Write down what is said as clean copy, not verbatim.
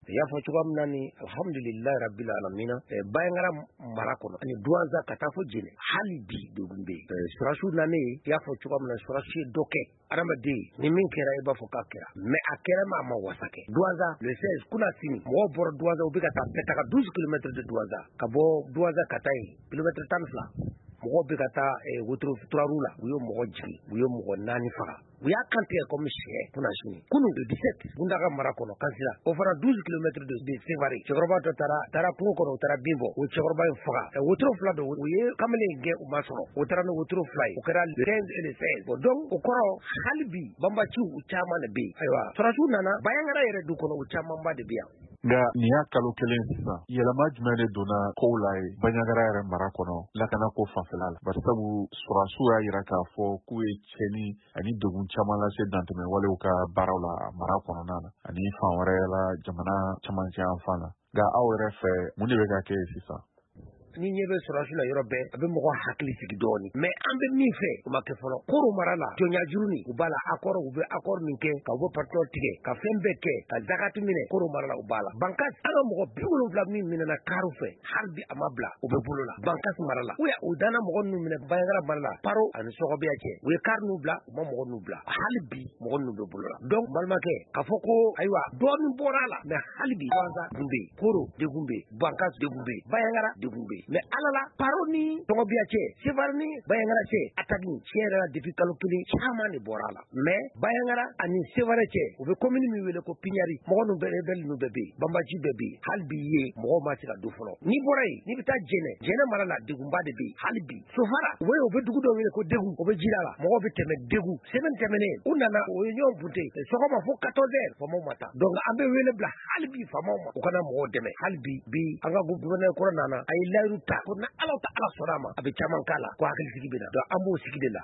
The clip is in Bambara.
I y'a fɔ cogoya min na ni alhamdulilayi rabbil alamina, Bandiagara mara kɔnɔ ani Douentza ka taa fo Djenné, hali bi degun bɛ yen. Sɔrɔdasiw nanen, i y'a fɔ cogoya min na, sɔrɔdasi ye dɔ kɛ. Adamaden ni min kɛra, i b'a fɔ k'a kɛra, mais a kɛra ma a ma wasa kɛ. Douentza, le 16, kunna sini, mɔgɔw bɔra Douentza, u bɛ ka taa bɛɛ taga 12 kilomètres de Douentza, ka bɔ Douentza ka taa yen, kilomètre 12. Mɔgɔw bɛ ka taa wotoro turaru la, u ye mɔgɔ jigin, u ye mɔgɔ naani faga, u y'a kantigɛ comme sɛ. Kunna sini, kunu, le 17, Mountaga mara kɔnɔ, Kansila, o fana 12 kilomètres de Sévaré, cɛkɔrɔba dɔ taara kungo kɔnɔ, u taara bin bɔ, o cɛkɔrɔba in faga. Wotoro fila don, u ye kamalen in gɛn, u ma sɔrɔ, o taara ni wotoro fila ye. O kɛra le 15 et le 16. Bon, donc o kɔrɔ, hali bi banbaciw u caman de bɛ yen. Ayiwa, sɔrɔdasiw nana Bandiagara yɛrɛ du kɔnɔ, u camanba de bɛ yan. Nka nin y'a kalo kelen sisan, yɛlɛma jumɛn de donna kow la ye Bandiagara yɛrɛ mara kɔnɔ, lakanako fanfɛla la? Barisabu sɔrɔdasiw y'a yira k'a fɔ k'u ye cɛni ani degun caman lase dantɛmɛ walew ka baaraw la mara kɔnɔna na ani fan wɛrɛ la, jamana camancɛ yan fan na. Nka aw yɛrɛ fɛ, mun de bɛ ka kɛ yen sisan? Ni ɲɛ bɛ sɔrɔdasi la yɔrɔ bɛɛ, a bɛ mɔgɔ hakili sigi dɔɔni, mais an bɛ min fɛ, o ma kɛ fɔlɔ. Koro mara la, jɔnya juruni u b'a la, accord, u bɛ accord min kɛ ka u bɛ pétrole tigɛ, ka fɛn bɛɛ kɛ, ka zakati minɛ Koro mara la, u b'a la. Bankas, an ka mɔgɔ 70 min minɛna kariw fɛ, hali bi a ma bila, u bɛ bolo la Bankas mara la. U danna mɔgɔ ninnu minɛ Bandiagara mara la, Paro ani Sɔgɔbiya cɛ, u ye kari ninnu bila, u ma mɔgɔ ninnu bila. Hali bi mɔgɔ ninnu bɛ bolo la. Donc balimakɛ, k'a fɔ ko ayiwa, dɔɔnin bɔra a la, mais hali bi Douentza degun bɛ yen, Koro degun bɛ yen, Bankas degun bɛ yen, Bandiagara degun bɛ yen. Mais ala la, Paro ni Sɔgɔbiya cɛ, Sévaré ni Bandiagara cɛ, attaque tiɲɛ yɛrɛ la, depuis kalo kelen, caman de bɔra a la. Mais Bandiagara ani Sévaré cɛ, u bɛ commune min wele ko Pignari, mɔgɔ ninnu bɛɛ, rebelle ninnu bɛɛ bɛ yen, banbaci bɛɛ bɛ yen. Hali bi ye mɔgɔw ma se ka don fɔlɔ. N'i bɔra yen, n'i bɛ taa Djenné, Djenné mara la, degunba de bɛ yen hali bi. Sofara, u bɛ u bɛ dugu dɔ wele ko Degu, o bɛ jida la, mɔgɔw bɛ tɛmɛ Degu. Semaine tɛmɛnen, u nana, o ye ɲɔgɔn bunte sɔgɔma fo 14 heures, faamaw ma taa. Donc an bɛ wele bila hali bi faamaw ma, u kana mɔgɔw dɛmɛ hali bi. Bi an ka gouverneur kɔrɔ nana, a ye layiru ta ko ni Ala ta Ala sɔnna a ma, a bɛ caman k'a la, ko hakilisigi bɛ na. Donc an b'o sigi de la.